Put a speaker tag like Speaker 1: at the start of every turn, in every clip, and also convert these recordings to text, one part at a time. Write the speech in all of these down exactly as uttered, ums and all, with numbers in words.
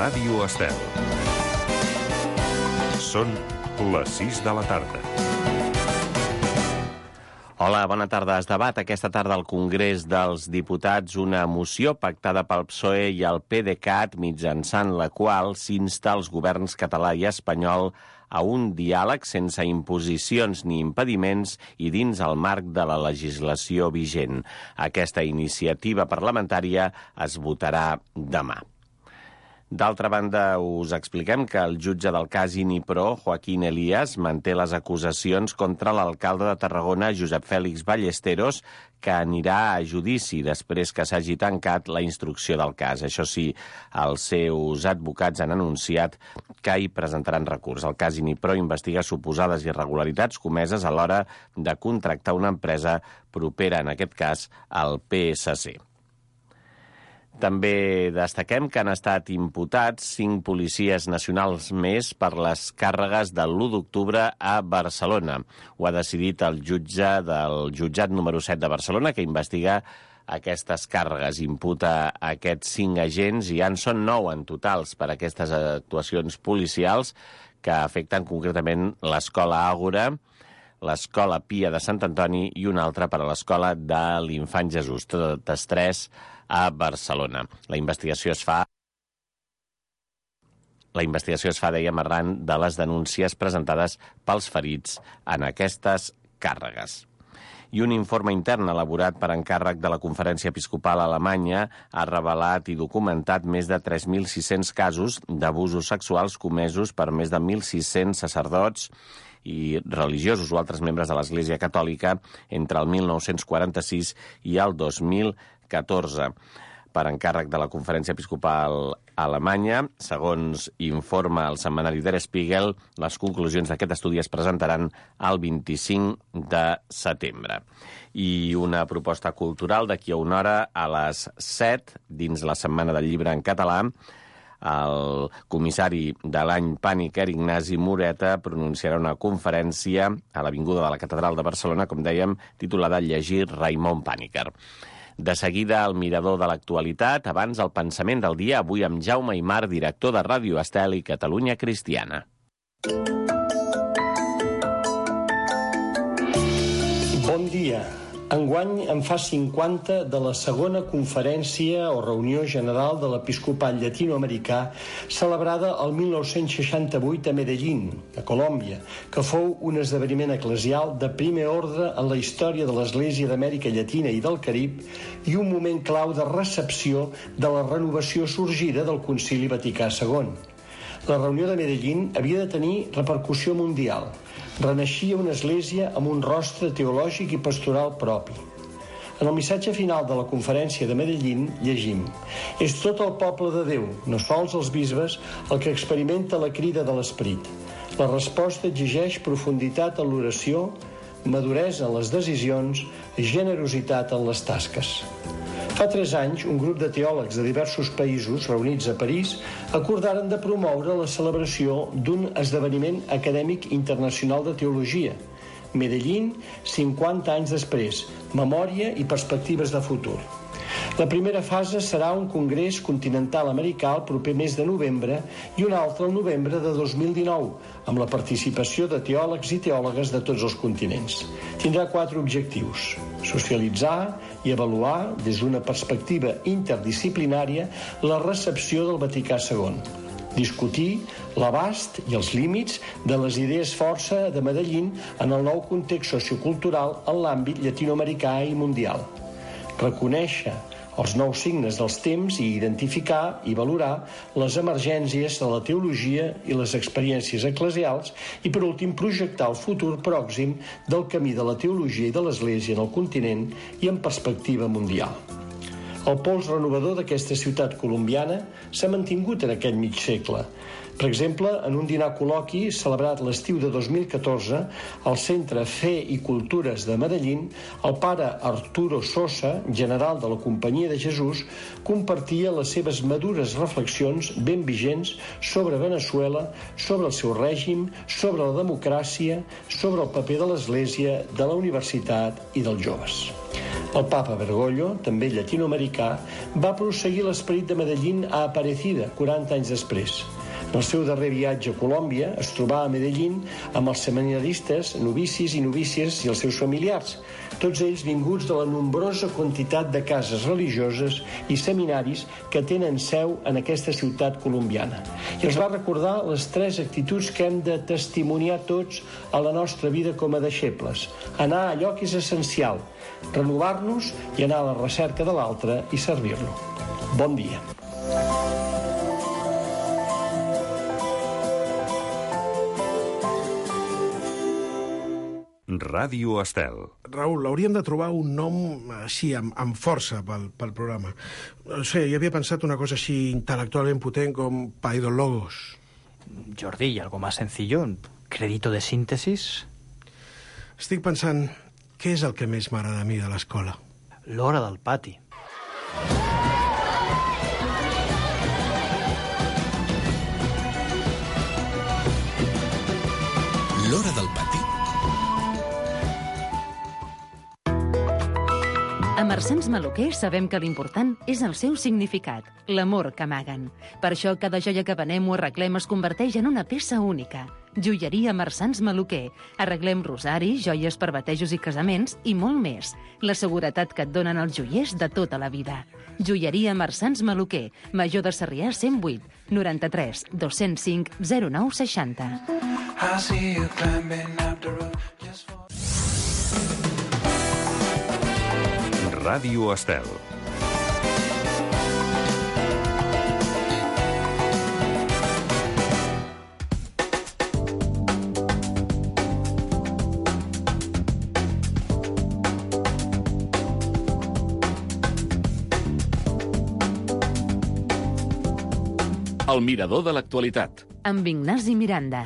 Speaker 1: Ràdio Estel. Són les sis de la tarda.
Speaker 2: Hola, bona tarda. Es debat aquesta tarda al Congrés dels Diputats una moció pactada pel P S O E i el PDeCAT, mitjançant la qual s'insta als governs català i espanyol a un diàleg sense imposicions ni impediments i dins el marc de la legislació vigent. Aquesta iniciativa parlamentària es votarà demà. D'altra banda, us expliquem que el jutge del cas Inipro, Joaquín Elías, manté les acusacions contra l'alcalde de Tarragona, Josep Fèlix Ballesteros, que anirà a judici després que s'hagi tancat la instrucció del cas. Això sí, els seus advocats han anunciat que hi presentaran recurs. El cas Inipro investiga suposades irregularitats comeses a l'hora de contractar una empresa propera, en aquest cas, al P S C. També destaquem que han estat imputats cinc policies nacionals més per les càrregues de l'u d'octubre a Barcelona. Ho ha decidit el jutge del jutjat número set de Barcelona, que investiga aquestes càrregues. Imputa aquests cinc agents i ja en són nou en totals per aquestes actuacions policials que afecten concretament l'Escola Àgora, l'Escola Pia de Sant Antoni i una altra per a l'Escola de l'Infant Jesús, totes tres a Barcelona. La investigació es fa La investigació es fa, dèiem, arran de les denúncies presentades pels ferits en aquestes càrregues. I un informe intern elaborat per encàrrec de la Conferència Episcopal Alemanya ha revelat i documentat més de tres mil sis-cents casos d'abusos sexuals comesos per més de mil sis-cents sacerdots i religiosos o altres membres de l'Església Catòlica entre el mil nou-cents quaranta-sis i el dos mil catorze. Per encàrrec de la Conferència Episcopal Alemanya, segons informa el setmanari Der Spiegel, les conclusions d'aquest estudi es presentaran el vint-i-cinc de setembre. I una proposta cultural d'aquí a una hora a les set, dins la Setmana del Llibre en català, el comissari de l'any Pàniker, Ignasi Moreta, pronunciarà una conferència a l'Avinguda de la Catedral de Barcelona, com dèiem, titulada Llegir Raimon Pàniker. De seguida, el mirador de l'actualitat, abans el pensament del dia, avui amb Jaume Aymar, director de Ràdio Estel i Catalunya Cristiana.
Speaker 3: Bon dia. Enguany en fa cinquanta de la segona conferència o reunió general de l'Episcopat Llatinoamericà celebrada el mil nou-cents seixanta-vuit a Medellín, a Colòmbia, que fou un esdeveniment eclesial de primer ordre en la història de l'Església d'Amèrica Llatina i del Carib i un moment clau de recepció de la renovació sorgida del Concili Vaticà segon. La reunió de Medellín havia de tenir repercussió mundial. Renaixia una església amb un rostre teològic i pastoral propi. En el missatge final de la conferència de Medellín llegim: és tot el poble de Déu, no sols els bisbes, el que experimenta la crida de l'Esperit. La resposta exigeix profunditat en l'oració, maduresa en les decisions, generositat en les tasques. Fa tres anys, un grup de teòlegs de diversos països reunits a París acordaren de promoure la celebració d'un esdeveniment acadèmic internacional de teologia. Medellín, cinquanta anys després, memòria i perspectives de futur. La primera fase serà un congrés continental americà el proper mes de novembre i un altre el novembre de dos mil dinou, amb la participació de teòlegs i teòlogues de tots els continents. Tindrà quatre objectius: socialitzar i avaluar des d'una perspectiva interdisciplinària la recepció del Vaticà segon, discutir l'abast i els límits de les idees força de Medellín en el nou context sociocultural en l'àmbit llatinoamericà i mundial, reconèixer els nous signes dels temps i identificar i valorar les emergències de la teologia i les experiències eclesials i, per últim, projectar el futur pròxim del camí de la teologia i de l'Església en el continent i en perspectiva mundial. El pols renovador d'aquesta ciutat colombiana s'ha mantingut en aquest mig segle. Per exemple, en un dinar col·loqui celebrat l'estiu de dos mil catorze al Centre Fe i Cultures de Medellín, el pare Arturo Sosa, general de la Companyia de Jesús, compartia les seves madures reflexions ben vigents sobre Veneçuela, sobre el seu règim, sobre la democràcia, sobre el paper de l'Església, de la universitat i dels joves. El papa Bergoglio, també llatinoamericà, va prosseguir l'esperit de Medellín a Aparecida, quaranta anys després. En el seu darrer viatge a Colòmbia es trobà a Medellín amb els seminaristes, novicis i novícies i els seus familiars, tots ells vinguts de la nombrosa quantitat de cases religioses i seminaris que tenen seu en aquesta ciutat colombiana. I els va recordar les tres actituds que hem de testimoniar tots a la nostra vida com a deixebles. Anar a allò que és essencial, renovar-nos i anar a la recerca de l'altre i servir-lo. Bon dia.
Speaker 1: Ràdio Estel.
Speaker 4: Raül, hauríem de trobar un nom així, amb, amb força pel, pel programa. No sé, jo havia pensat una cosa així intel·lectualment potent com Paidologos.
Speaker 5: Jordi, ¿y algo más sencillo? ¿Crédito de síntesis?
Speaker 4: Estic pensant, què és el que més m'agrada a mi de l'escola?
Speaker 5: L'hora del pati.
Speaker 6: L'hora del pati.
Speaker 7: A Marsans Maluquer sabem que l'important és el seu significat, l'amor que amaguen. Per això cada joia que venem o arreglem es converteix en una peça única. Joieria Marsans Maluquer. Arreglem rosaris, joies per batejos i casaments i molt més. La seguretat que et donen els joiers de tota la vida. Joieria Marsans Maluquer. Major de Sarrià cent vuit, noranta-tres, dos-cents cinc, zero nou seixanta.
Speaker 1: Ràdio Estel.
Speaker 8: El mirador de l'actualitat.
Speaker 7: Amb Ignasi Miranda.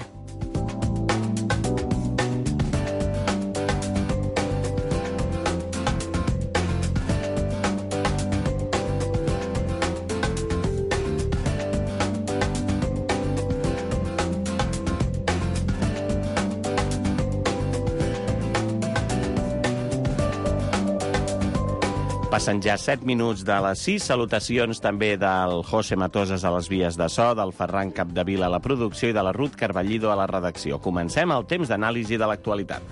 Speaker 2: Passen ja set minuts de les sis. Salutacions també del José Matoses a les vies de so, del Ferran Capdevila a la producció i de la Ruth Carballido a la redacció. Comencem el temps d'anàlisi de l'actualitat.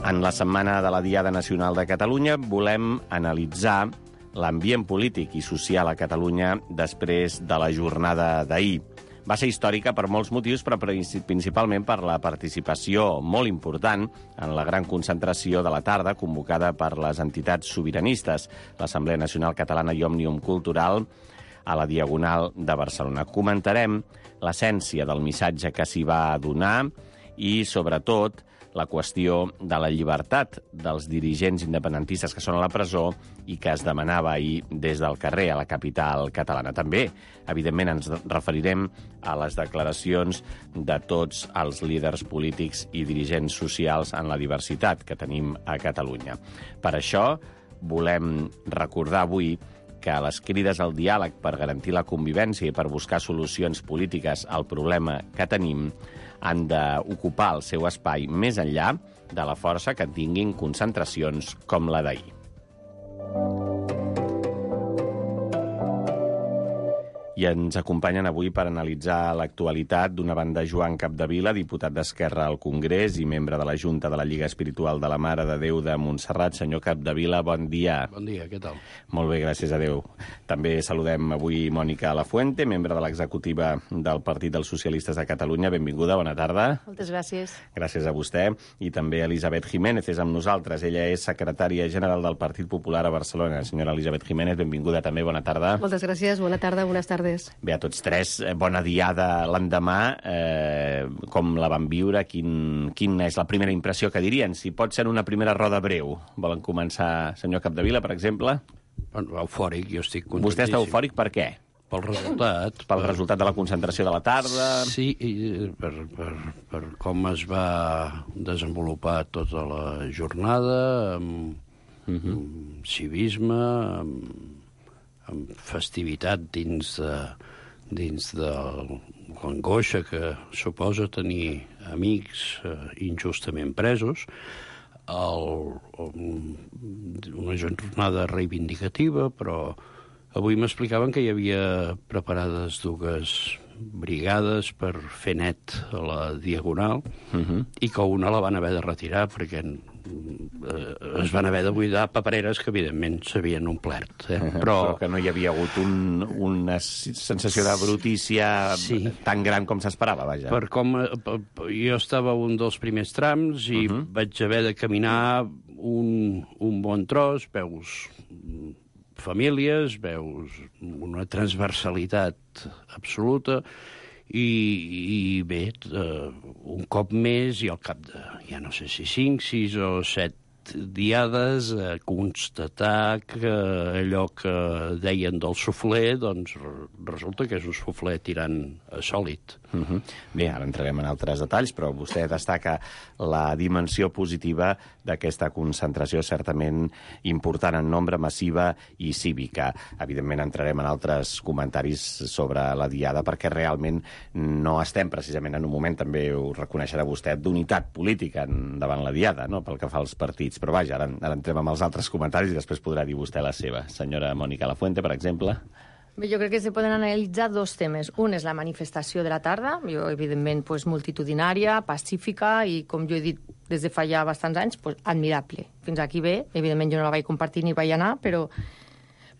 Speaker 2: En la setmana de la Diada Nacional de Catalunya volem analitzar l'ambient polític i social a Catalunya després de la jornada d'ahir. Va ser històrica per molts motius, però principalment per la participació molt important en la gran concentració de la tarda convocada per les entitats sobiranistes, l'Assemblea Nacional Catalana i Òmnium Cultural, a la Diagonal de Barcelona. Comentarem l'essència del missatge que s'hi va donar i, sobretot, la qüestió de la llibertat dels dirigents independentistes que són a la presó i que es demanava ahir des del carrer a la capital catalana. També, evidentment, ens referirem a les declaracions de tots els líders polítics i dirigents socials en la diversitat que tenim a Catalunya. Per això, volem recordar avui que les crides al diàleg per garantir la convivència i per buscar solucions polítiques al problema que tenim han d'ocupar el seu espai més enllà de la força que tinguin concentracions com la d'ahir. I ens acompanyen avui per analitzar l'actualitat d'una banda Joan Capdevila, diputat d'Esquerra al Congrés i membre de la Junta de la Lliga Espiritual de la Mare de Déu de Montserrat. Senyor Capdevila, bon dia.
Speaker 9: Bon dia, què tal?
Speaker 2: Molt bé, gràcies a Déu. També saludem avui Mònica Lafuente, membre de l'executiva del Partit dels Socialistes de Catalunya. Benvinguda, bona tarda.
Speaker 10: Moltes gràcies.
Speaker 2: Gràcies a vostè. I també Elisabet Jiménez és amb nosaltres. Ella és secretària general del Partit Popular a Barcelona. Senyora Elisabet Jiménez, benvinguda també, bona tarda.
Speaker 10: Moltes gràcies, bona tarda, bones tardes.
Speaker 2: Bé, a tots tres, bona diada l'endemà. Eh, com la van viure? Quin, quina és la primera impressió que dirien? Si pot ser una primera roda breu. Volen començar, senyor Capdevila, per exemple?
Speaker 9: Bueno, eufòric, jo estic contentíssim.
Speaker 2: Vostè està eufòric per què?
Speaker 9: Pel resultat.
Speaker 2: Pel per... resultat de la concentració de la tarda?
Speaker 9: Sí, i per, per, per com es va desenvolupar tota la jornada, amb, uh -huh. amb civisme, amb amb festivitat dins de, dins de l'angoixa que suposa tenir amics eh, injustament presos, el, una jornada reivindicativa, però avui m'explicaven que hi havia preparades dues brigades per fer net a la Diagonal uh-huh. i que una la van haver de retirar perquè eh, es van haver de buidar papereres que, evidentment, s'havien omplert. Eh?
Speaker 2: Uh-huh.
Speaker 9: Però...
Speaker 2: Però que no hi havia hagut un, una sensació de brutícia sí. tan gran com s'esperava, vaja.
Speaker 9: Per com, jo estava un dels primers trams i uh-huh. vaig haver de caminar un, un bon tros, veus famílies, veus una transversalitat absoluta i, i bé, uh, un cop més i al cap de, ja no sé si cinc, sis o set diades a constatar que allò que deien del suflé, doncs resulta que és un suflé tirant a sòlid.
Speaker 2: Uh-huh. Bé, ara entrarem en altres detalls, però vostè destaca la dimensió positiva d'aquesta concentració certament important en nombre, massiva i cívica. Evidentment entrarem en altres comentaris sobre la diada, perquè realment no estem precisament en un moment, també ho reconeixerà vostè, d'unitat política davant la diada, no?, pel que fa als partits. Però vaja, ara, ara entrem amb els altres comentaris i després podrà dir vostè la seva. Senyora Mònica Lafuente, per exemple.
Speaker 10: Bé, jo crec que se poden analitzar dos temes. Un és la manifestació de la tarda, jo, evidentment, pues, multitudinària, pacífica i, com jo he dit des de fa ja bastants anys, pues, admirable. Fins aquí bé, evidentment jo no la vaig compartir ni vaig anar, però,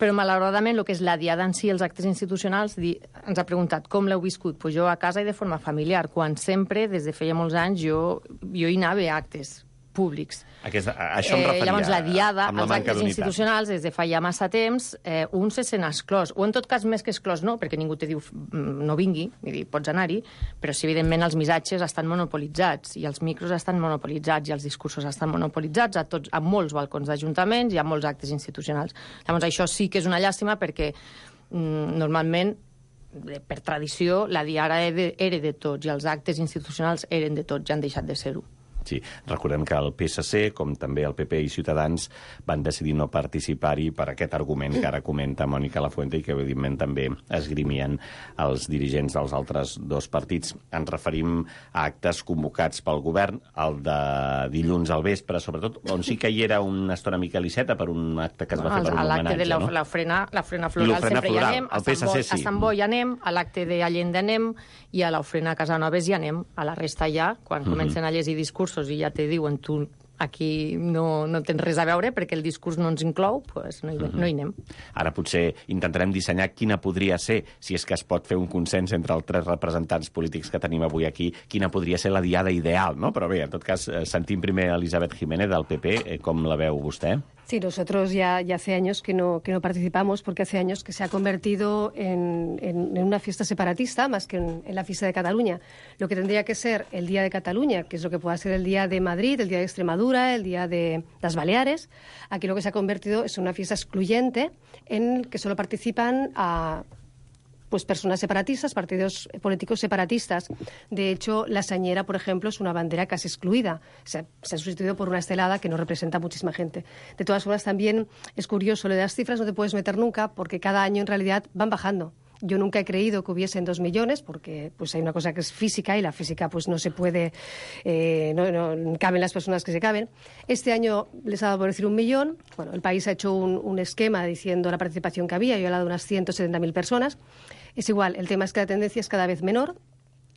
Speaker 10: però malauradament el que és la diada en si, els actes institucionals, di, ens ha preguntat com l'heu viscut. Pues jo a casa i de forma familiar, quan sempre, des de feia molts anys, jo, jo hi anava a actes públics.
Speaker 2: Aquesta, això em referia,
Speaker 10: eh, llavors, la diada,
Speaker 2: amb la
Speaker 10: els
Speaker 2: manca
Speaker 10: actes
Speaker 2: d'unitat.
Speaker 10: institucionals, des de fa ja massa temps, eh, un se sent exclòs, o en tot cas més que exclòs no, perquè ningú te diu no vingui, vull dir, pots anar-hi, però si evidentment els missatges estan monopolitzats, i els micros estan monopolitzats, i els discursos estan monopolitzats a, tots, a molts balcons d'ajuntaments i a molts actes institucionals. Llavors, això sí que és una llàstima perquè mm, normalment per tradició, la diada era de tots i els actes institucionals eren de tots, ja han deixat de ser-ho.
Speaker 2: Sí, recordem que el P S C, com també el P P i Ciutadans, van decidir no participar-hi per aquest argument que ara comenta Mònica Lafuente i que, evidentment, també esgrimien els dirigents dels altres dos partits. Ens referim a actes convocats pel govern, el de dilluns al vespre, sobretot, on sí que hi era una estona mica Iceta per un acte que es va fer per un homenatge, no?
Speaker 10: A l'acte de l'ofrena floral sempre hi anem, a Sant Boi hi anem, a l'acte d'Allenda anem i a l'ofrena a Casanovas hi anem, a la resta ja, quan comencen a llegir discursos i ja te diuen tu aquí no, no tens res a veure perquè el discurs no ens inclou, pues no, hi, no hi anem.
Speaker 2: Ara potser intentarem dissenyar quina podria ser, si és que es pot fer un consens entre els tres representants polítics que tenim avui aquí, quina podria ser la diada ideal, no? Però bé, en tot cas, sentim primer Elisabeth Jiménez del P P, com la veu vostè?
Speaker 6: Sí, nosotros ya, ya hace años que no, que no participamos porque hace años que se ha convertido en, en, en una fiesta separatista más que en, en la fiesta de Cataluña. Lo que tendría que ser el Día de Cataluña, que es lo que pueda ser el Día de Madrid, el Día de Extremadura, el Día de las Baleares, aquí lo que se ha convertido es una fiesta excluyente en el que solo participan a... pues personas separatistas, partidos políticos separatistas. De hecho, la sañera, por ejemplo, es una bandera casi excluida. Se, se ha sustituido por una estelada que no representa a muchísima gente. De todas formas, también es curioso, lo de las cifras no te puedes meter nunca porque cada año en realidad van bajando. Yo nunca he creído que hubiesen dos millones porque pues hay una cosa que es física y la física pues no se puede, eh, no, no caben las personas que se caben. Este año les ha dado por decir un millón. Bueno, el país ha hecho un, un esquema diciendo la participación que había. Yo he hablado de unas ciento setenta mil personas. Es igual, el tema es que la tendencia es cada vez menor.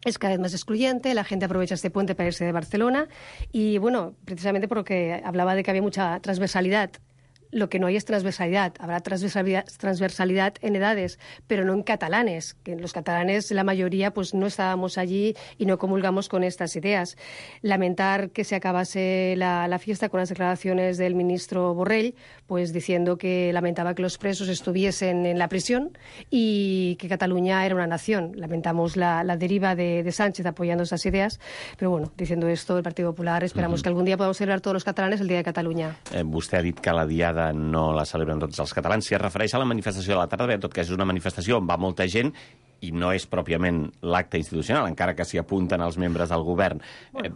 Speaker 6: Es cada vez más excluyente, la gente aprovecha este puente para irse de Barcelona y, bueno, precisamente porque hablaba de que había mucha transversalidad. Lo que no hay es transversalidad. Habrá transversalidad, transversalidad en edades, pero no en catalanes, que los catalanes, la mayoría, pues no estábamos allí y no comulgamos con estas ideas. Lamentar que se acabase la, la fiesta con las declaraciones del ministro Borrell, pues diciendo que lamentaba que los presos estuviesen en la prisión y que Cataluña era una nación. Lamentamos la, la deriva de, de Sánchez apoyando esas ideas, pero bueno, diciendo esto, el Partido Popular esperamos uh-huh. que algún día podamos celebrar todos los catalanes el Día de Cataluña.
Speaker 2: Eh, vostè ha dit que la diada no la celebren tots els catalans. Si es refereix a la manifestació de la tarda, bé, en tot cas és una manifestació on va molta gent i no és pròpiament l'acte institucional, encara que s'hi apunten els membres del govern. Eh,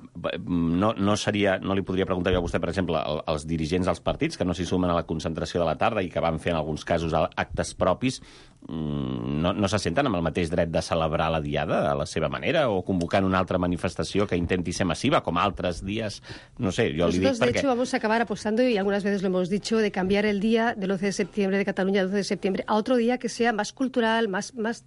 Speaker 2: no, no, seria, no li podria preguntar jo a vostè, per exemple, als dirigents dels partits que no s'hi sumen a la concentració de la tarda i que van fer en alguns casos actes propis, no, no se senten amb el mateix dret de celebrar la Diada a la seva manera o convocant una altra manifestació que intenti ser massiva, com altres días, no sé, yo le digo
Speaker 6: Nosotros, de hecho, vamos a acabar apostando, y algunas veces lo hemos dicho, de cambiar el día del once de septiembre de Cataluña, el doce de septiembre, a otro día que sea más cultural, más... más...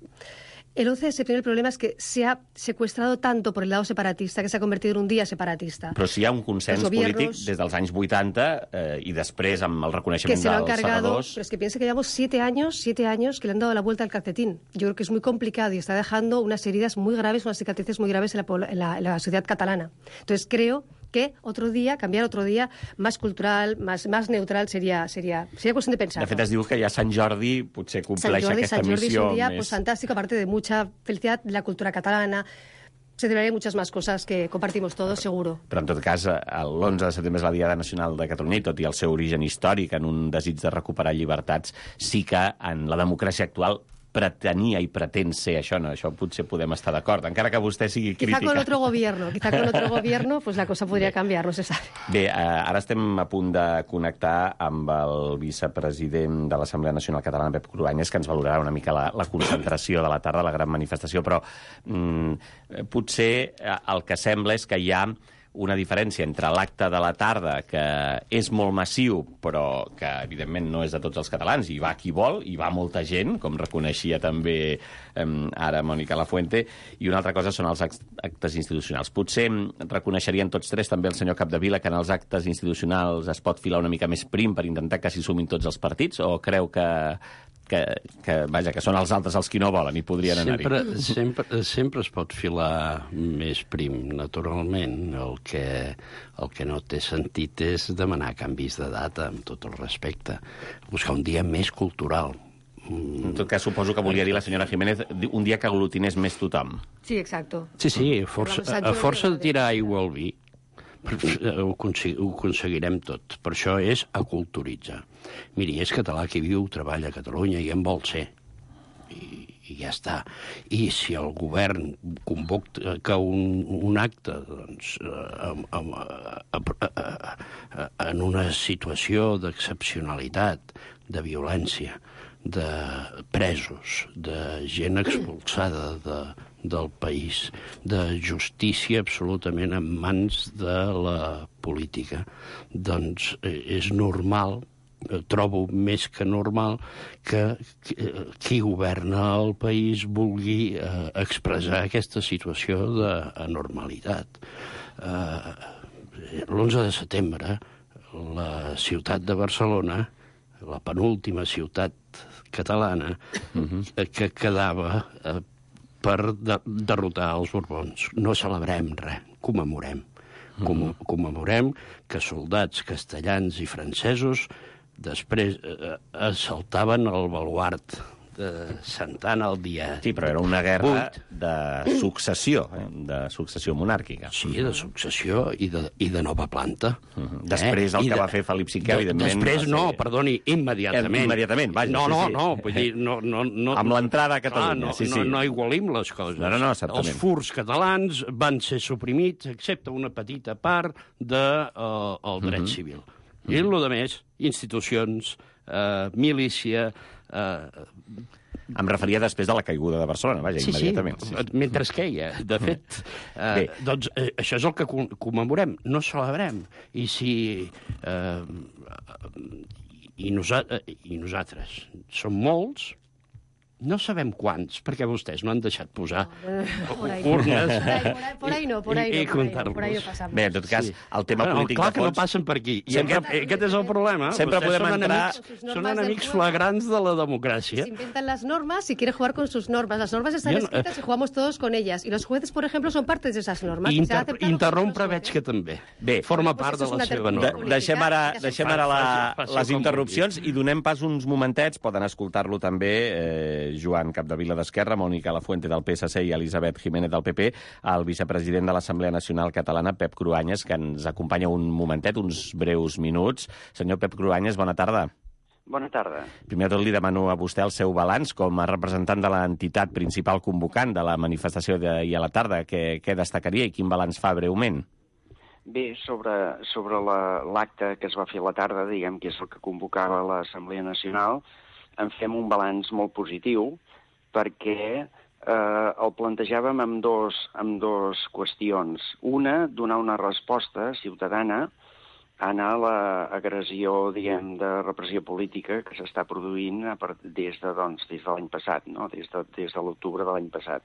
Speaker 6: El once de septiembre el problema es que se ha secuestrado tanto por el lado separatista que se ha convertido en un día separatista.
Speaker 2: Però si hi ha un consens polític des dels anys vuitanta eh, i després amb el reconeixement
Speaker 6: que se lo han
Speaker 2: dels
Speaker 6: cargado,
Speaker 2: segadors...
Speaker 6: pero es que piensa que llevamos siete años, siete años que le han dado la vuelta al calcetín. Yo creo que es muy complicado y está dejando unas heridas muy graves, unas cicatrices muy graves en la, en la, en la sociedad catalana. Entonces creo que otro día, cambiar otro día más cultural, más, más neutral, sería, sería, sería cuestión de pensar.
Speaker 2: De fet, es diu que ja Sant Jordi potser compleix
Speaker 6: Sant Jordi,
Speaker 2: aquesta
Speaker 6: Sant Jordi
Speaker 2: missió
Speaker 6: es un día
Speaker 2: més...
Speaker 6: pues, fantástico, aparte de mucha felicidad de la cultura catalana. Se celebrarían muchas más cosas que compartimos todos, seguro.
Speaker 2: Però, en tot cas, l'onze de setembre és la Diada Nacional de Catalunya i tot i el seu origen històric en un desig de recuperar llibertats, sí que en la democràcia actual pretenia i pretén ser això, no? Això potser podem estar d'acord, encara que vostè sigui crítica.
Speaker 6: Quizá con otro gobierno, quizá con otro gobierno, pues la cosa podría cambiar, no se sabe.
Speaker 2: Bé, eh, ara estem a punt de connectar amb el vicepresident de l'Assemblea Nacional Catalana, Pep Cruanyes, que ens valorarà una mica la, la concentració de la tarda, la gran manifestació, però mm, potser el que sembla és que hi ha una diferència entre l'acte de la tarda, que és molt massiu, però que, evidentment, no és de tots els catalans, i va qui vol, i va molta gent, com reconeixia també eh, ara Mònica Lafuente, i una altra cosa són els actes institucionals. Potser reconeixerien tots tres, també el senyor Capdevila, que en els actes institucionals es pot filar una mica més prim per intentar que s'hi sumin tots els partits, o creu que... Que, que, vaja, que són els altres els qui no volen i podrien anar-hi.
Speaker 9: Sempre, sempre, sempre es pot filar més prim, naturalment. El que, el que no té sentit és demanar canvis de data, amb tot el respecte. Buscar un dia més cultural.
Speaker 2: En tot cas, suposo que volia dir la senyora Jiménez un dia que aglutinés més tothom.
Speaker 6: Sí, exacto.
Speaker 9: Sí, sí, a força, a força de tirar aigua al vi, ho, consegui, ho aconseguirem tot. Per això és aculturitzar. Miri, és català qui viu, treballa a Catalunya i en vol ser. I, i ja està. I si el govern convoca un, un acte doncs, amb, amb, amb, en una situació d'excepcionalitat, de violència, de presos, de gent expulsada de, del país, de justícia absolutament en mans de la política, doncs és normal, trobo més que normal, que qui governa el país vulgui eh, expressar aquesta situació d'anormalitat. Eh, l'onze de setembre, la ciutat de Barcelona, la penúltima ciutat catalana, uh-huh. que quedava eh, per de derrotar els Borbons. No celebrem res, commemorem. Com commemorem que soldats castellans i francesos després eh, assaltaven el baluard de Santa Anna el dia...
Speaker 2: Sí, però era una guerra de successió, eh? de successió monàrquica.
Speaker 9: Sí, de successió i de, i de nova planta.
Speaker 2: Uh -huh. Després el
Speaker 9: eh?
Speaker 2: que
Speaker 9: de,
Speaker 2: va fer Felip cinquè, de, evidentment...
Speaker 9: Després
Speaker 2: ser...
Speaker 9: no, perdoni, immediatament.
Speaker 2: Immediatament, vaja.
Speaker 9: No,
Speaker 2: sí,
Speaker 9: no,
Speaker 2: sí.
Speaker 9: no, vull dir, no... no, no
Speaker 2: amb l'entrada a Catalunya,
Speaker 9: ah, no,
Speaker 2: sí, sí.
Speaker 9: No, no igualim les coses.
Speaker 2: No, no, no, certament.
Speaker 9: Els furs catalans van ser suprimits, excepte una petita part del de, uh, dret uh -huh. civil. I el de més, institucions, eh, milícia... Eh,
Speaker 2: Em referia després de la caiguda de Barcelona, vaja,
Speaker 9: sí,
Speaker 2: immediatament.
Speaker 9: Sí, sí, mentre es queia. De fet, eh, doncs eh, això és el que commemorem, no celebrem. I si... Eh, i, nosa I nosaltres som molts, no sabem quants, perquè vostès no han deixat posar
Speaker 6: no,
Speaker 9: urnes
Speaker 6: por ahí no, por ahí
Speaker 9: i, i
Speaker 6: no,
Speaker 9: comptar-los.
Speaker 6: por ahí no passamos.
Speaker 2: Bé, en tot cas, sí. el tema
Speaker 9: bueno,
Speaker 2: polític
Speaker 9: clar
Speaker 2: de fons...
Speaker 9: que no passen per aquí. I
Speaker 2: sempre,
Speaker 9: aquest, aquest és el problema.
Speaker 2: Sempre
Speaker 9: vostès
Speaker 2: podem
Speaker 9: són
Speaker 2: entrar...
Speaker 9: Enemics, són enemics flagrants de la democràcia.
Speaker 6: Se inventan las normas y quiere jugar con sus normas. Las normas están no, escritas y jugamos todos con ellas. Y los jueces, por ejemplo, son parte de esas normas.
Speaker 9: Inter interrompre veig que també. Bé, forma part de la seva norma.
Speaker 2: De, deixem ara, deixem ara la, les interrupcions i donem pas uns momentets. Poden escoltar-lo també eh, Joan Capdevila d'Esquerra, Mònica Lafuente del P S C i Elisabet Jiménez del P P, el vicepresident de l'Assemblea Nacional Catalana, Pep Cruanyes, que ens acompanya un momentet, uns breus minuts. Senyor Pep Cruanyes, bona tarda.
Speaker 11: Bona tarda.
Speaker 2: Primer de tot li demano a vostè el seu balanç com a representant de l'entitat principal convocant de la manifestació d'ahir a la tarda. Què, què destacaria i quin balanç fa breument?
Speaker 11: Bé, sobre, sobre l'acte la, que es va fer a la tarda, diguem que és el que convocava l'Assemblea Nacional, en fem un balanç molt positiu, perquè eh, el plantejàvem amb dos, amb dos qüestions. Una, donar una resposta ciutadana a anar a l'agressió, diguem, de repressió política que s'està produint a part, des de, doncs, des de l'any passat, no? des de, des de l'octubre de l'any passat.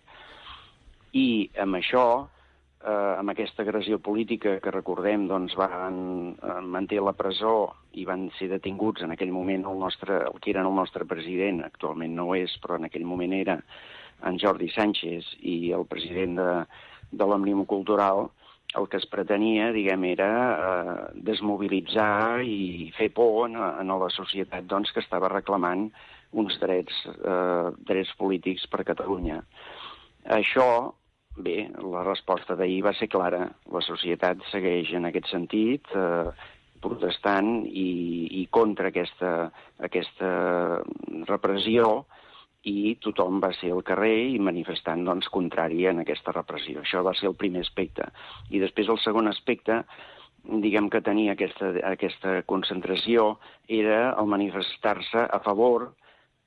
Speaker 11: I amb això, eh, amb aquesta agressió política que recordem, doncs, van eh, mantenir la presó i van ser detinguts en aquell moment el, nostre, el que era el nostre president, actualment no ho és, però en aquell moment era en Jordi Sánchez i el president de, de l'Òmnium Cultural, el que es pretenia, diguem, era eh, desmobilitzar i fer por en, en la societat, doncs, que estava reclamant uns drets, eh, drets polítics per a Catalunya. Això, bé, la resposta d'ahir va ser clara. La societat segueix en aquest sentit, eh, protestant i, i contra aquesta, aquesta repressió, i tothom va ser al carrer i manifestant, doncs, contrari en aquesta repressió. Això va ser el primer aspecte. I després el segon aspecte, diguem que tenia aquesta, aquesta concentració, era el manifestar-se a favor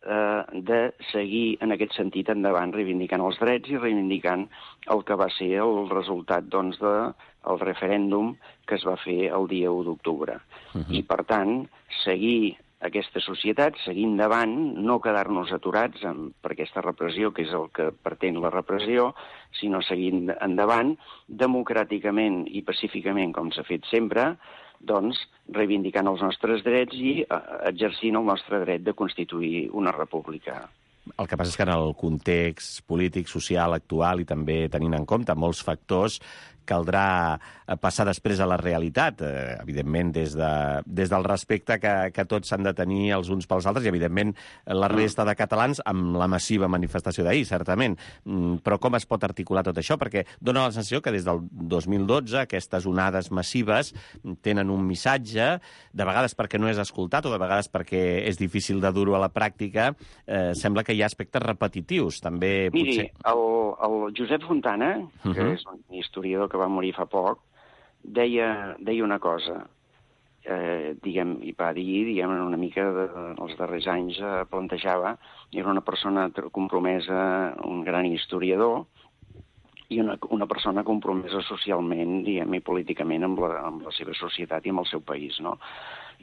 Speaker 11: eh, de seguir en aquest sentit endavant, reivindicant els drets i reivindicant el que va ser el resultat, doncs, del referèndum que es va fer el dia u d'octubre. Uh-huh. I, per tant, seguir aquesta societat, seguir endavant, no quedar-nos aturats amb, per aquesta repressió, que és el que pretén la repressió, sinó seguir endavant, democràticament i pacíficament, com s'ha fet sempre, doncs, reivindicant els nostres drets i eh, exercint el nostre dret de constituir una república.
Speaker 2: El que passa és que en el context polític, social, actual i també tenint en compte molts factors, caldrà passar després a la realitat, eh, evidentment des, de, des del respecte que, que tots s'han de tenir els uns pels altres i, evidentment, la resta de catalans amb la massiva manifestació d'ahir, certament. Mm, però com es pot articular tot això? Perquè dona la sensació que des del dos mil dotze aquestes onades massives tenen un missatge, de vegades perquè no és escoltat o de vegades perquè és difícil de dur-ho a la pràctica, eh, sembla que hi ha aspectes repetitius. També,
Speaker 11: Miri,
Speaker 2: potser...
Speaker 11: el, el Josep Fontana, que uh-huh. és un historiador que va morir fa poc, deia, deia una cosa, eh, diguem, i va dir, diguem, una mica de, els darrers anys eh, plantejava, era una persona compromesa, un gran historiador, i una, una persona compromesa socialment, diguem, i políticament amb la, amb la seva societat i amb el seu país, no?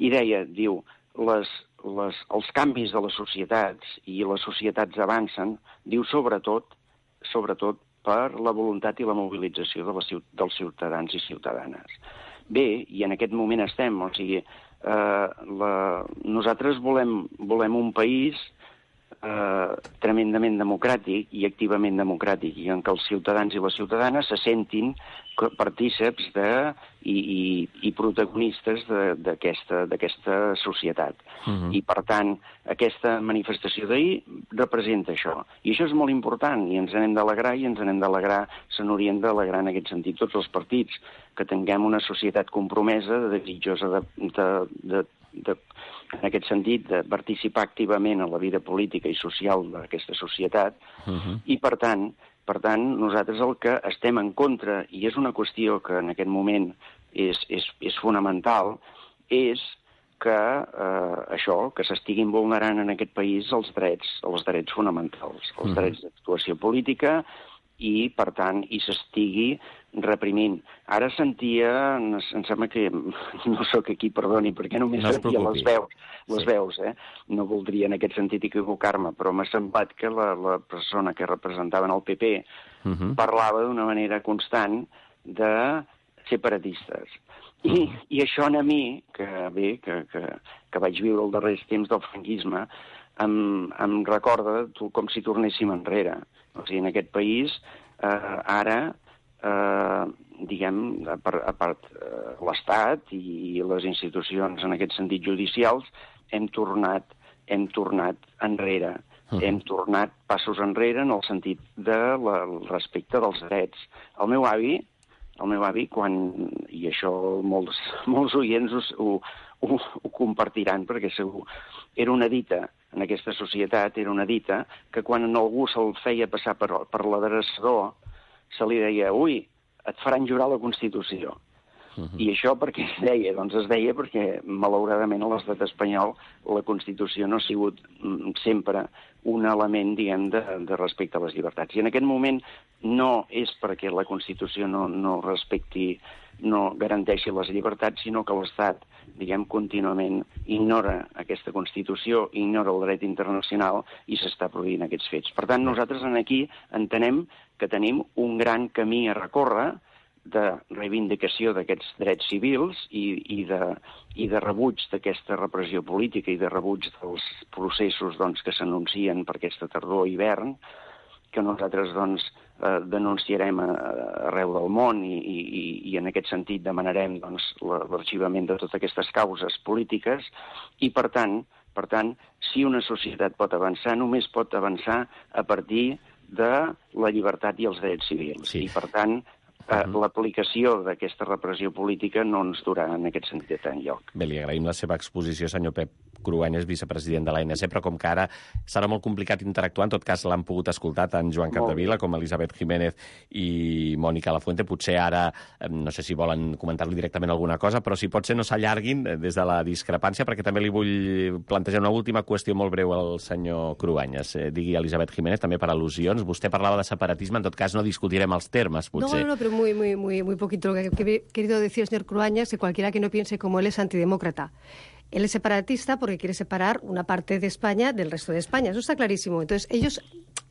Speaker 11: I deia, diu, les, les, els canvis de les societats i les societats avancen, diu, sobretot, sobretot per la voluntat i la mobilització de les, dels ciutadans i ciutadanes. Bé, i en aquest moment estem, o sigui, eh, la, nosaltres volem, volem un país eh, tremendament democràtic i activament democràtic, i en què els ciutadans i les ciutadanes se sentin partíceps de, i, i, i protagonistes d'aquesta societat. Uh-huh. I, per tant, aquesta manifestació d'ahir representa això. I això és molt important, i ens n'hem d'alegrar, i ens n'hem d'alegrar, se n'haurien d'alegrar en aquest sentit tots els partits, que tinguem una societat compromesa, desitjosa de, de, de, de, en aquest sentit, de participar activament en la vida política i social d'aquesta societat, uh-huh. i, per tant, Per tant, nosaltres el que estem en contra, i és una qüestió que en aquest moment és, és, és fonamental, és que eh, això, que s'estiguin vulnerant en aquest país els drets, els drets fonamentals, els mm. drets d'actuació política, i, per tant, i s'estigui reprimint. Ara sentia, em sembla que no sóc aquí, perdoni, perquè només no sentia les veus, les sí. veus, eh? No voldria en aquest sentit equivocar-me, però m'ha semblat que la, la persona que representaven el P P uh-huh. parlava d'una manera constant de separatistes. I, uh-huh. i això a mi, que bé, que, que, que vaig viure els darrers temps del franquisme, em, em recorda com si tornéssim enrere. O sigui, en aquest país, eh, ara, eh, diguem, a part, a part eh, l'Estat i les institucions, en aquest sentit judicials, hem tornat, hem tornat enrere. Uh-huh. Hem tornat passos enrere en el sentit del de respecte dels drets. El meu avi, el meu avi, quan, i això molts, molts oients ho, ho, ho compartiran, perquè segur, era una dita, en aquesta societat era una dita, que quan algú se'l feia passar per, per l'adreçador, se li deia, ui, et faran jurar la Constitució. Uh-huh. I això per què es deia? Doncs es deia perquè, malauradament, a l'estat espanyol la Constitució no ha sigut sempre un element, diguem, de, de respecte a les llibertats. I en aquest moment no és perquè la Constitució no, no respecti, no garanteixi les llibertats, sinó que l'Estat, diguem, contínuament ignora aquesta Constitució, ignora el dret internacional i s'està produint aquests fets. Per tant, nosaltres aquí entenem que tenim un gran camí a recórrer de reivindicació d'aquests drets civils i, i, de, i de rebuig d'aquesta repressió política i de rebuig dels processos doncs, que s'anuncien per aquesta tardor i hivern, que nosaltres doncs, eh, denunciarem a, arreu del món i, i, i en aquest sentit demanarem doncs, l'arxivament de totes aquestes causes polítiques i, per tant, per tant, si una societat pot avançar, només pot avançar a partir de la llibertat i els drets civils. Sí. I, per tant, Uh, l'aplicació d'aquesta repressió política no ens durà en aquest sentit enlloc.
Speaker 2: Bé, li agraïm la seva exposició, senyor Pep Cruanyes, vicepresident de l'A N C, però com que ara serà molt complicat interactuar, en tot cas l'han pogut escoltar tant Joan Capdevila com Elisabet Jiménez i Mònica Lafuente. Potser ara, no sé si volen comentar-li directament alguna cosa, però si pot ser no s'allarguin des de la discrepància, perquè també li vull plantejar una última qüestió molt breu al senyor Cruanyes. Eh, digui Elisabet Jiménez, també per al·lusions. Vostè parlava de separatisme, en tot cas no discutirem els termes, potser.
Speaker 6: No, no, però muy, muy, muy, muy poquito. Lo que he querido decir el señor Cruanyes, que cualquiera que no piense como él es antidemócrata. Él es separatista porque quiere separar una parte de España del resto de España. Eso está clarísimo. Entonces, ellos,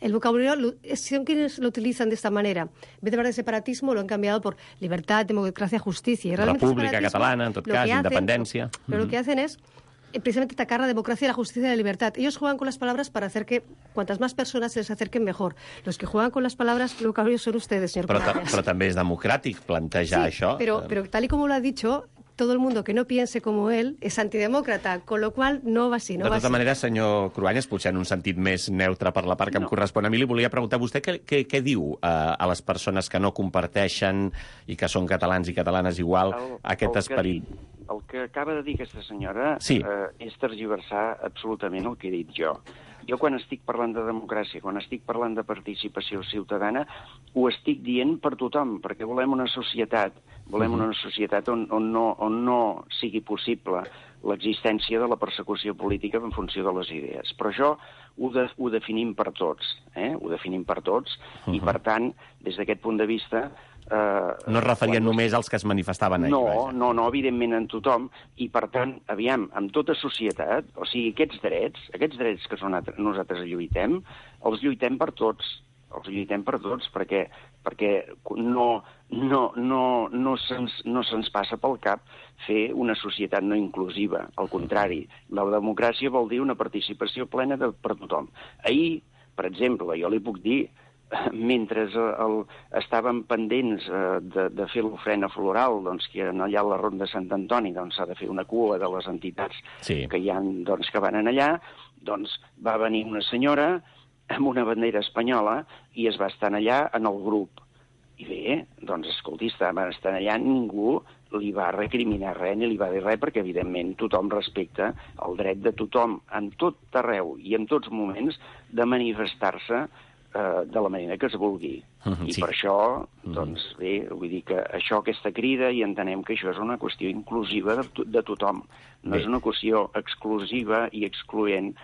Speaker 6: el vocabulario, son quienes lo utilizan de esta manera. En vez de hablar de separatismo, lo han cambiado por libertad, democracia, justicia. Y
Speaker 2: República Catalana, en tot cas, independencia.
Speaker 6: Pero, pero lo que hacen es precisamente atacar la democracia, la justicia y la libertad. Ellos juegan con las palabras para hacer que cuantas más personas se les acerquen mejor. Los que juegan con las palabras, lo que son ustedes, señor
Speaker 2: Però,
Speaker 6: Cruanyes.
Speaker 2: Però també és democràtic plantejar
Speaker 6: sí,
Speaker 2: això.
Speaker 6: Pero, pero tal y como lo ha dicho, todo el mundo que no piense como él es antidemócrata, con lo cual no va así. No
Speaker 2: de
Speaker 6: va
Speaker 2: tota
Speaker 6: así.
Speaker 2: manera, senyor Cruanyes, potser en un sentit més neutre per la part que no. em correspon a mi, li volia preguntar a vostè què, què, què diu a, a les persones que no comparteixen i que són catalans i catalanes igual el, aquest
Speaker 11: el
Speaker 2: esperit.
Speaker 11: Que, el que acaba de dir aquesta senyora
Speaker 2: sí.
Speaker 11: eh, és tergiversar absolutament el que he dit jo. Jo quan estic parlant de democràcia, quan estic parlant de participació ciutadana, ho estic dient per tothom, perquè volem una societat, volem uh-huh. una societat on, on, no, on no sigui possible l'existència de la persecució política en funció de les idees. Però això ho, de, ho definim per tots, eh? ho definim per tots, uh-huh. i per tant, des d'aquest punt de vista...
Speaker 2: Eh, no es referien quan... només als que es manifestaven ahir.
Speaker 11: No,
Speaker 2: vaja.
Speaker 11: no, no, evidentment en tothom, i per tant, aviam, amb tota societat, o sigui, aquests drets, aquests drets que són, nosaltres lluitem, els lluitem per tots, els lluitem per tots, perquè, perquè no, no, no, no se'ns no se'ns passa pel cap fer una societat no inclusiva. Al contrari, la democràcia vol dir una participació plena de, per tothom. Ahir, per exemple, jo li puc dir, mentre el, estàvem pendents eh, de, de fer l'ofrena floral, doncs, que allà a la Ronda de Sant Antoni doncs, s'ha de fer una cua de les entitats
Speaker 2: sí.
Speaker 11: que hi ha, doncs, que van allà, doncs va venir una senyora amb una bandera espanyola i es va estar allà en el grup. I bé, doncs, escolti, estaven estant allà, ningú li va recriminar res ni li va dir res, perquè, evidentment, tothom respecta el dret de tothom, en tot arreu i en tots moments, de manifestar-se de la manera que es vulgui. Uh-huh, I sí. per això, doncs, bé, vull dir que això, aquesta crida, i entenem que això és una qüestió inclusiva de, de tothom. No bé. És una qüestió exclusiva i excloent,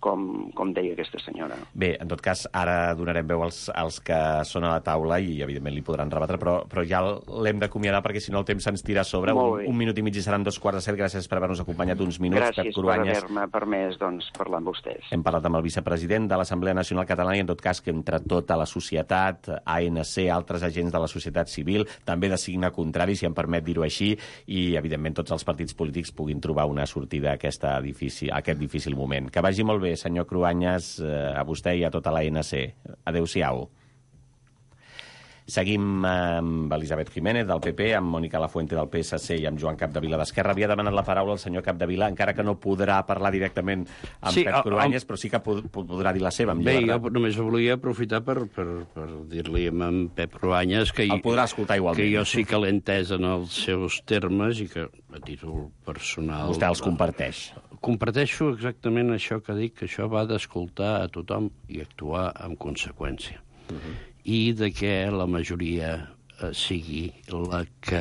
Speaker 11: com, com deia aquesta senyora.
Speaker 2: Bé, en tot cas, ara donarem veu als, als que són a la taula i, evidentment, li podran rebatre, però, però ja l'hem d'acomiadar perquè, si no, el temps se'ns tira a sobre. Un, un minut i mig i seran dos quarts de set. Gràcies per haver-nos acompanyat uns minuts,
Speaker 11: Gràcies
Speaker 2: Pep Cruanyes.
Speaker 11: per haver-me permès doncs, parlar amb vostès.
Speaker 2: Hem parlat amb el vicepresident de l'Assemblea Nacional Catalana i, en tot cas, que entre tota la societat, A N C, altres agents de la societat civil, també de signe contrari, si em permet dir-ho així, i, evidentment, tots els partits polítics puguin trobar una sortida a, aquesta difícil, a aquest difícil moment. Que vagi molt bé, senyor Cruanyes, a vostè i a tota l'A N C. Adéu-siau. Seguim amb Elisabet Jiménez, del P P, amb Mònica Lafuente, del P S C, i amb Joan Capdevila, d'Esquerra. Havia demanat la paraula el senyor Capdevila, encara que no podrà parlar directament amb sí, Pep Cruanyes, el... però sí que pod podrà dir la seva.
Speaker 9: Bé, jo només volia aprofitar per, per, per dir-li a en Pep Cruanyes que,
Speaker 2: el podrà escoltar igualment.
Speaker 9: Que jo sí que l'he entès en els seus termes i que, a títol personal...
Speaker 2: Vostè els comparteix.
Speaker 9: Comparteixo exactament això que dic, que això va d'escoltar a tothom i actuar en conseqüència. Uh-huh. I de que la majoria eh, sigui la que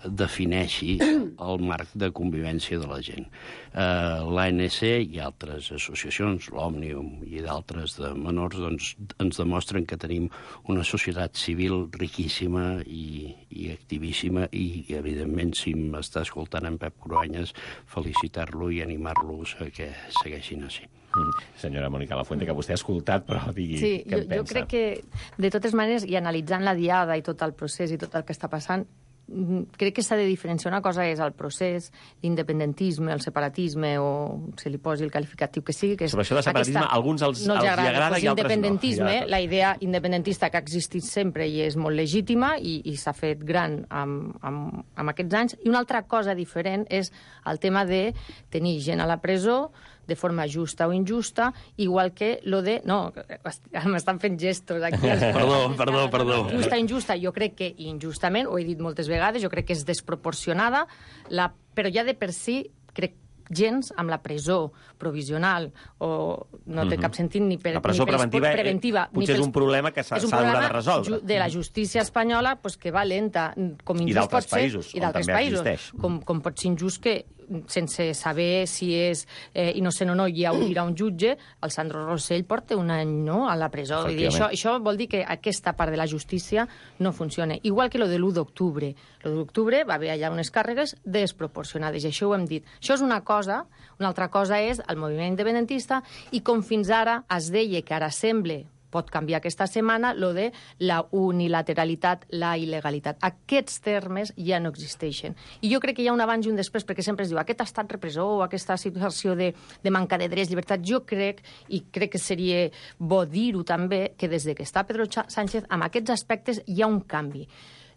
Speaker 9: defineixi el marc de convivència de la gent. Eh, L'A N C i altres associacions, l'Òmnium i d'altres de menors, doncs, ens demostren que tenim una societat civil riquíssima i, i activíssima i, evidentment, si m'està escoltant en Pep Cruanyes, felicitar-lo i animar-los a que segueixin així.
Speaker 2: Mm. Senyora Mònica Lafuente, que vostè ha escoltat, però digui
Speaker 10: sí,
Speaker 2: què
Speaker 10: jo,
Speaker 2: en pensa.
Speaker 10: Jo crec que, de totes maneres, i analitzant la diada i tot el procés i tot el que està passant, crec que s'ha de diferenciar. Una cosa és el procés, l'independentisme, el separatisme, o se li posi el qualificatiu que sigui. Que és
Speaker 2: sobre això de separatisme,
Speaker 10: aquesta...
Speaker 2: alguns els,
Speaker 10: no els,
Speaker 2: els
Speaker 10: agrada,
Speaker 2: agrada
Speaker 10: pues,
Speaker 2: i altres no.
Speaker 10: Independentisme,
Speaker 2: Ja.
Speaker 10: la idea independentista que ha existit sempre i és molt legítima i, i s'ha fet gran amb, amb, amb aquests anys. I una altra cosa diferent és el tema de tenir gent a la presó de forma justa o injusta, igual que lo de... No, m'estan fent gestos aquí.
Speaker 9: Perdó, perdó, perdó.
Speaker 10: Justa, injusta, jo crec que injustament, ho he dit moltes vegades, jo crec que és desproporcionada, la, però ja de per si, crec gens amb la presó provisional o no té cap sentit ni per...
Speaker 2: La presó
Speaker 10: ni
Speaker 2: preventiva,
Speaker 10: preventiva
Speaker 2: eh, potser és un problema que s'ha d'haver de resoldre.
Speaker 10: De la justícia espanyola, pues, que va lenta, com injust
Speaker 2: I d'altres
Speaker 10: pot ser,
Speaker 2: països,
Speaker 10: i d'altres països,
Speaker 2: existeix.
Speaker 10: com, com pot ser injust que sense saber si és eh, innocent o no, hi haurà un jutge, el Sandro Rosell porta un any no, a la presó. Vull dir, això, això vol dir que aquesta part de la justícia no funciona. Igual que lo de l'u d'octubre. L'u d'octubre va haver allà unes càrregues desproporcionades, i això ho hem dit. Això és una cosa, una altra cosa és el moviment independentista, i com fins ara es deia que ara sembla pot canviar aquesta setmana, lo de la unilateralitat, la il·legalitat. Aquests termes ja no existeixen. I jo crec que hi ha un abans i un després, perquè sempre es diu aquest estat repressor o aquesta situació de, de manca de drets, llibertat. Jo crec, i crec que seria bo dir-ho també, que des de que està Pedro Sánchez, amb aquests aspectes hi ha un canvi.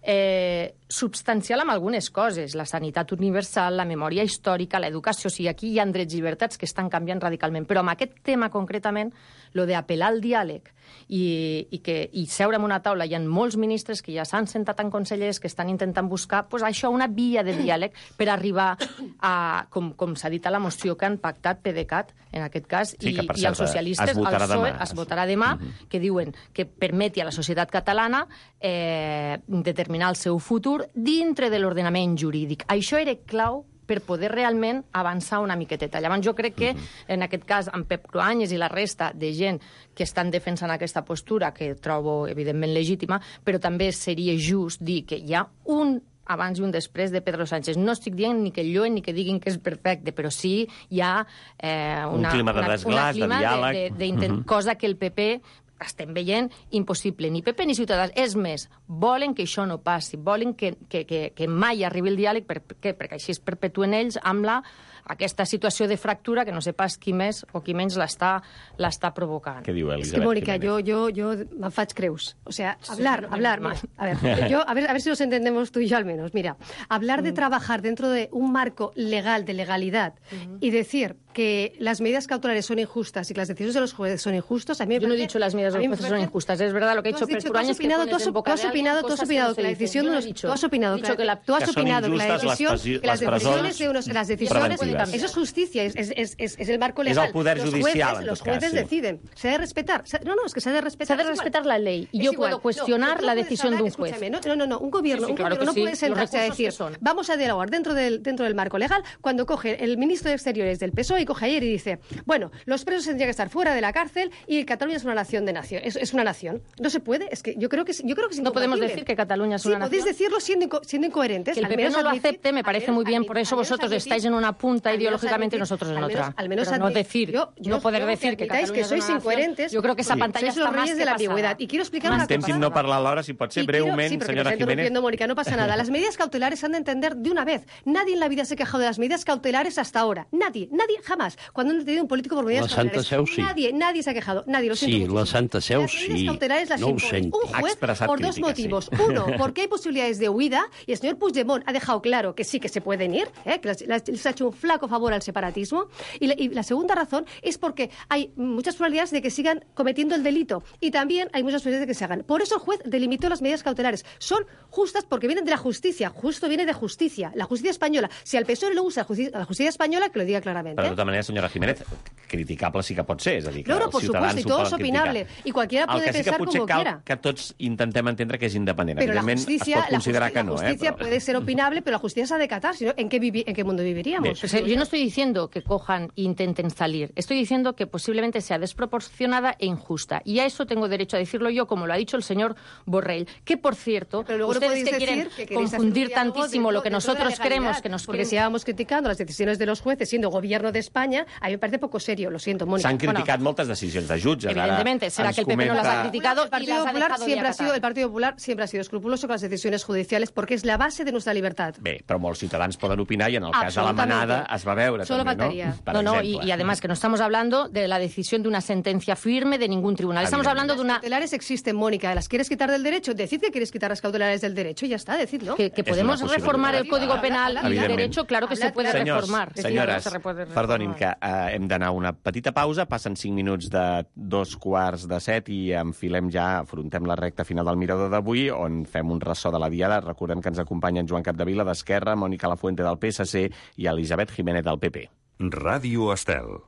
Speaker 10: Eh, substancial amb algunes coses, la sanitat universal, la memòria històrica, l'educació, o sigui, aquí hi ha drets i llibertats que estan canviant radicalment, però amb aquest tema concretament, lo d'apel·lar al diàleg i, i, que, i seure en una taula, hi ha molts ministres que ja s'han sentat en consellers que estan intentant buscar pues, això, una via de diàleg per arribar a, com, com s'ha dit a la moció que han pactat PDeCAT, en aquest cas,
Speaker 2: sí,
Speaker 10: i,
Speaker 2: que,
Speaker 10: i els socialistes, el P S O E, es votarà demà, uh -huh. que diuen que permeti a la societat catalana eh, determinar el seu futur dintre de l'ordenament jurídic. Això era clau per poder realment avançar una miqueteta. Llavors jo crec que, en aquest cas, amb Pep Cruanyes i la resta de gent que estan defensant aquesta postura, que trobo, evidentment, legítima, però també seria just dir que hi ha un abans i un després de Pedro Sánchez. No estic dient ni que lloen ni que diguin que és perfecte, però sí hi ha eh, una,
Speaker 2: un clima de desglàs, de diàleg.
Speaker 10: De, de, de, de, cosa que el P P estem veient impossible. Ni P P ni Ciutadans. És més, volen que això no passi, volen que, que, que, que mai arribi el diàleg, per, per, perquè així es perpetuen ells amb la, aquesta situació de fractura que no sé pas qui més o qui menys l'està provocant.
Speaker 2: Què diu Elisabet?
Speaker 6: Es que, Mónica, yo, yo, yo me faig creus. O sea, hablar, sí, hablar... Mira, a ver, yo, a ver, a ver si nos entendemos tú y yo al menos. Mira, hablar de trabajar dentro de un marco legal, de legalidad, uh-huh. y decir que las medidas cautelares son injustas y que las decisiones de los jueces son injustas, a mí me
Speaker 10: Yo
Speaker 6: parece...
Speaker 10: no he dicho las medidas de los jueces son injustas, es verdad lo que ha dicho Pep Cruanyes, que pones en boca de alguien cosas que no se dicen. Tú has opinado, tú has opinado, tú has opinado que la, tú has opinado que la decisión, que las decisiones de unos, las decisiones, eso es justicia, es, es, es, es, es el marco legal.
Speaker 2: Es el poder
Speaker 6: los
Speaker 2: judicial,
Speaker 6: jueces, los jueces deciden. Se ha de respetar. No, no, es que se ha de respetar.
Speaker 10: Se ha de respetar la ley. Y yo puedo cuestionar la decisión de un juez.
Speaker 6: No, no, no, un gobierno, un gobierno no puede sentarse a decir, vamos a dialogar dentro del, dentro del marco legal, cuando coge el ministro de Exteriores del P S O E y coge ayer y dice, bueno, los presos tendrían que estar fuera de la cárcel y Cataluña es una nación de nación. Es, es una nación. No se puede. Es que yo creo que yo creo que es
Speaker 10: no podemos decir que Cataluña es una
Speaker 6: sí,
Speaker 10: nación.
Speaker 6: Podéis decirlo siendo, inco siendo incoherentes.
Speaker 10: Que el P P no lo acepte me parece muy bien, por eso vosotros estáis en una punta ideológicamente y nosotros en otra.
Speaker 6: Al menos
Speaker 10: no decir,
Speaker 6: yo, yo,
Speaker 10: no poder
Speaker 6: yo
Speaker 10: decir que Cataluña
Speaker 6: que sois
Speaker 10: es una
Speaker 6: incoherentes.
Speaker 10: Nación, yo creo que esa pantalla
Speaker 6: está los reyes de la ambigüedad. Y quiero explicar una cosa.
Speaker 2: Estem no parlar l'hora, si pot ser breument, señora Jiménez.
Speaker 6: Mónica, no pasa nada. Las medidas cautelares se han de entender de una vez. Nadie en la vida se ha quejado de las medidas cautelares hasta ahora. Nadie, nadie, jamás. Cuando han detenido un político por medidas cautelares.
Speaker 9: La Santa Seu sí.
Speaker 6: Nadie, nadie se ha quejado. Nadie, lo siento
Speaker 9: Sí,
Speaker 6: muchísimo.
Speaker 9: la Santa Seu
Speaker 6: las
Speaker 9: sí.
Speaker 6: medidas cautelares las
Speaker 9: no
Speaker 6: impone un juez por dos motivos.
Speaker 2: Sí.
Speaker 6: Uno, porque hay posibilidades de huida y el señor Puigdemont ha dejado claro que sí que se pueden ir, ¿eh? Que les, les ha hecho un flaco favor al separatismo. Y la, y la segunda razón es porque hay muchas probabilidades de que sigan cometiendo el delito y también hay muchas probabilidades de que se hagan. Por eso el juez delimitó las medidas cautelares. Son justas porque vienen de la justicia. Justo viene de justicia. La justicia española. Si al P S O E le gusta la justicia, la justicia española, que lo diga claramente.
Speaker 2: Pero de todas maneras, señora Jiménez, criticable sí que pot ser, és a dir, que
Speaker 6: Claro,
Speaker 2: els
Speaker 6: por
Speaker 2: ciutadans
Speaker 6: supuesto, y
Speaker 2: ho
Speaker 6: todo es
Speaker 2: poden
Speaker 6: opinable.
Speaker 2: criticar.
Speaker 6: Y cualquiera puede
Speaker 2: el que sí que
Speaker 6: pensar
Speaker 2: potser
Speaker 6: como
Speaker 2: cal
Speaker 6: quiera.
Speaker 2: que tots intentem entendre que és independent.
Speaker 6: Pero la
Speaker 2: Evidentment,
Speaker 6: justicia,
Speaker 2: es pot considerar
Speaker 6: la
Speaker 2: que
Speaker 6: justicia,
Speaker 2: no,
Speaker 6: la justicia
Speaker 2: eh? Però...
Speaker 6: puede ser opinable, pero la justicia se ha de acatar. Si no, ¿en, qué vivi ¿En qué mundo viviríamos?
Speaker 10: O sea, yo no estoy diciendo que cojan e intenten salir. Estoy diciendo que posiblemente sea desproporcionada e injusta. Y a eso tengo derecho a decirlo yo, como lo ha dicho el señor Borrell. Que, por cierto,
Speaker 6: Pero luego no
Speaker 10: ustedes
Speaker 6: podéis
Speaker 10: que quieren
Speaker 6: decir que queréis
Speaker 10: confundir
Speaker 6: hacer un diálogo
Speaker 10: tantísimo
Speaker 6: dentro-
Speaker 10: lo que
Speaker 6: dentro de la
Speaker 10: nosotros queremos
Speaker 6: legalidad.
Speaker 10: que nos
Speaker 6: Porque si íbamos criticando las decisiones de los jueces siendo gobierno de España, a mí me parece poco serio, lo siento, Mónica.
Speaker 2: S'han
Speaker 6: Bueno,
Speaker 2: criticat moltes decisions de jutges.
Speaker 10: Evidentemente,
Speaker 2: Ara
Speaker 10: será
Speaker 2: ens
Speaker 10: que el P P no las
Speaker 2: comenta-
Speaker 10: ha criticado
Speaker 6: el
Speaker 10: y
Speaker 6: Partido
Speaker 10: las ha
Speaker 6: Popular
Speaker 10: dejado
Speaker 6: siempre
Speaker 10: de
Speaker 6: ha sido
Speaker 10: acatar.
Speaker 6: el Partido Popular siempre ha sido escrupuloso con las decisiones judiciales porque es la base de nuestra libertad.
Speaker 2: Bé, però molts ciutadans poden opinar i en el cas de la
Speaker 10: Absolutamente.
Speaker 2: manada es va veure
Speaker 10: Solo
Speaker 2: també,
Speaker 10: faltaría.
Speaker 2: no? Per
Speaker 10: No, no, y,
Speaker 2: exemple.
Speaker 10: y además que no estamos hablando de la decisión de una sentencia firme de ningún tribunal. Estamos hablando de una...
Speaker 6: Las cautelares existen, Mónica. ¿Las quieres quitar del derecho? Decid que quieres quitar las cautelares del derecho y ya está, decidlo.
Speaker 10: Que, que podemos reformar el Código Penal y el
Speaker 2: Evidentment.
Speaker 10: derecho, claro que se puede
Speaker 2: Senyors,
Speaker 10: reformar.
Speaker 2: senyores,
Speaker 10: Se puede reformar.
Speaker 2: perdonin que eh, hem d'anar a una petita pausa, passen cinc minuts de dos quarts de set i enfilem ja, afrontem la recta final del Mirador d'avui, on fem un ressò de la diada. Recordem que ens acompanyen Joan Capdevila d'Esquerra, Mònica Lafuente del P S C i Elisabet Jiménez del P P.
Speaker 1: Ràdio Estel.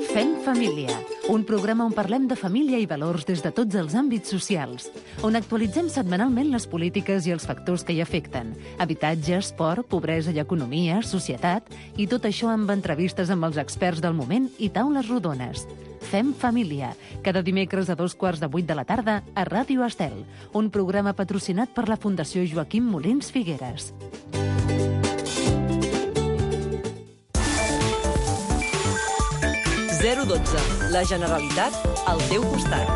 Speaker 7: Fem família, un programa on parlem de família i valors des de tots els àmbits socials, on actualitzem setmanalment les polítiques i els factors que hi afecten, habitatge, esport, pobresa i economia, societat, i tot això amb entrevistes amb els experts del moment i taules rodones. Fem família, cada dimecres a dos quarts de vuit de la tarda a Ràdio Estel, un programa patrocinat per la Fundació Joaquim Molins Figueres.
Speaker 12: zero dotze. La Generalitat al teu costat.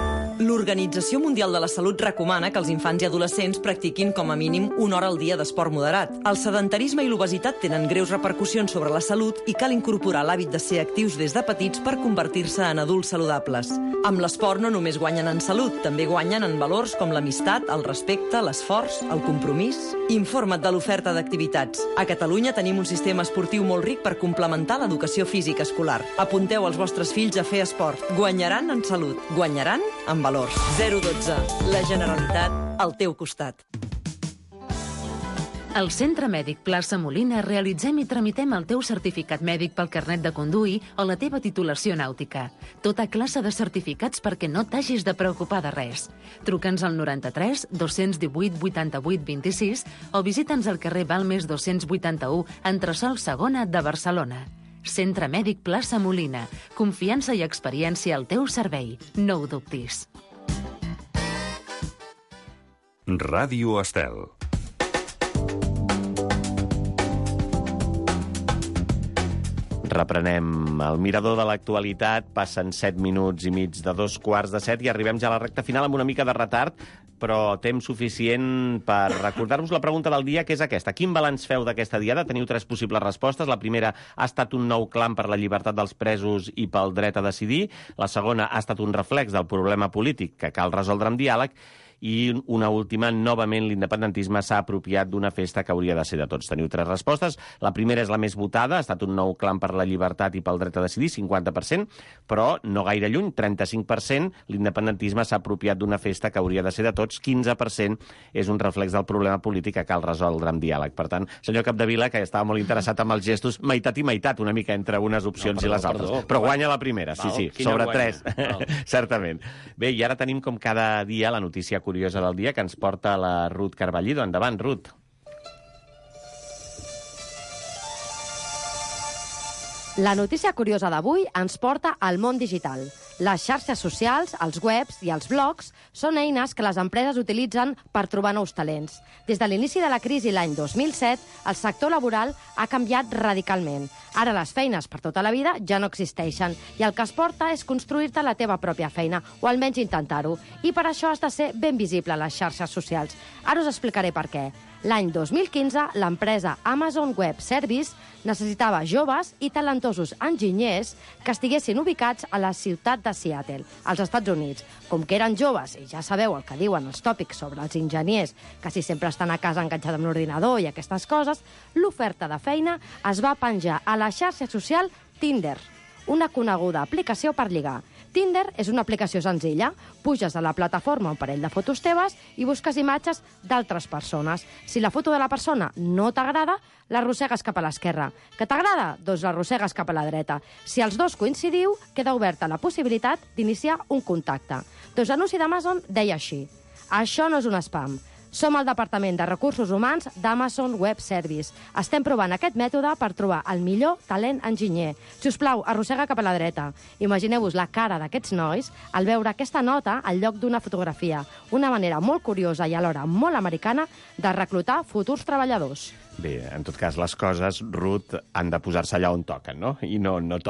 Speaker 12: L'Organització Mundial de la Salut recomana que els infants i adolescents practiquin com a mínim una hora al dia d'esport moderat. El sedentarisme i l'obesitat tenen greus repercussions sobre la salut i cal incorporar l'hàbit de ser actius des de petits per convertir-se en adults saludables. Amb l'esport no només guanyen en salut, també guanyen en valors com l'amistat, el respecte, l'esforç, el compromís. Informa't de l'oferta d'activitats. A Catalunya tenim un sistema esportiu molt ric per complementar l'educació física escolar. Apunteu els vostres fills a fer esport. Guanyaran en salut. Guanyaran en valors. zero dotze. La Generalitat al teu costat.
Speaker 7: Al Centre Mèdic Plaça Molina realitzem i tramitem el teu certificat mèdic pel carnet de conduir o la teva titulació nàutica. Tota classe de certificats perquè no t'hagis de preocupar de res. Truca'ns al noranta-tres dos-cents divuit vuitanta-vuit vint-i-sis o visita'ns al carrer Balmes dos-cents vuitanta-u, entresòl segona de Barcelona. Centre Mèdic Plaça Molina. Confiança i experiència al teu servei. No ho dubtis.
Speaker 1: Ràdio Estel.
Speaker 2: Reprenem el mirador de l'actualitat. Passen set minuts i mig de dos quarts de set i arribem ja a la recta final amb una mica de retard, però temps suficient per recordar-vos la pregunta del dia, que és aquesta. Quin balanç feu d'aquesta diada? Teniu tres possibles respostes. La primera ha estat un nou clam per la llibertat dels presos i pel dret a decidir. La segona ha estat un reflex del problema polític que cal resoldre amb diàleg. I una última, novament l'independentisme s'ha apropiat d'una festa que hauria de ser de tots. Teniu tres respostes. La primera és la més votada, ha estat un nou clam per la llibertat i pel dret a decidir, cinquanta per cent, però no gaire lluny, trenta-cinc per cent, l'independentisme s'ha apropiat d'una festa que hauria de ser de tots, quinze per cent és un reflex del problema polític que cal resoldre amb diàleg. Per tant, senyor Capdevila, que estava molt interessat amb els gestos, meitat i meitat, una mica entre unes opcions no, perdó, i les altres. Perdó, però guanya la primera, sí, sí, sobre tres, certament. Bé, i ara tenim com cada dia la notícia curiosa del dia que ens porta la Ruth Carballido. Endavant, Ruth.
Speaker 13: La notícia curiosa d'avui ens porta al món digital. Les xarxes socials, els webs i els blogs són eines que les empreses utilitzen per trobar nous talents. Des de l'inici de la crisi l'any dos mil set, el sector laboral ha canviat radicalment. Ara les feines per tota la vida ja no existeixen i el que es porta és construir-te la teva pròpia feina, o almenys intentar-ho. I per això has de ser ben visible a les xarxes socials. Ara us explicaré per què. L'any dos mil quinze, l'empresa Amazon Web Service necessitava joves i talentosos enginyers que estiguessin ubicats a la ciutat de Seattle, als Estats Units. Com que eren joves, i ja sabeu el que diuen els tòpics sobre els enginyers, que si sempre estan a casa enganxats amb l'ordinador i aquestes coses, l'oferta de feina es va penjar a la xarxa social Tinder, una coneguda aplicació per lligar. Tinder és una aplicació senzilla. Puges a la plataforma un parell de fotos teves i busques imatges d'altres persones. Si la foto de la persona no t'agrada, l'arrossegues cap a l'esquerra. Que t'agrada? Doncs l'arrossegues cap a la dreta. Si els dos coincidiu, queda oberta la possibilitat d'iniciar un contacte. Doncs l'anunci d'Amazon deia així: això no és un spam. Som el Departament de Recursos Humans d'Amazon Web Service. Estem provant aquest mètode per trobar el millor talent enginyer. Si us plau, arrossega cap a la dreta. Imagineu-vos la cara d'aquests nois al veure aquesta nota al lloc d'una fotografia. Una manera molt curiosa i alhora molt americana de reclutar futurs treballadors.
Speaker 2: Bé, en tot cas, les coses, Ruth, han de posar-se allà on toquen, no? I no, no toquen.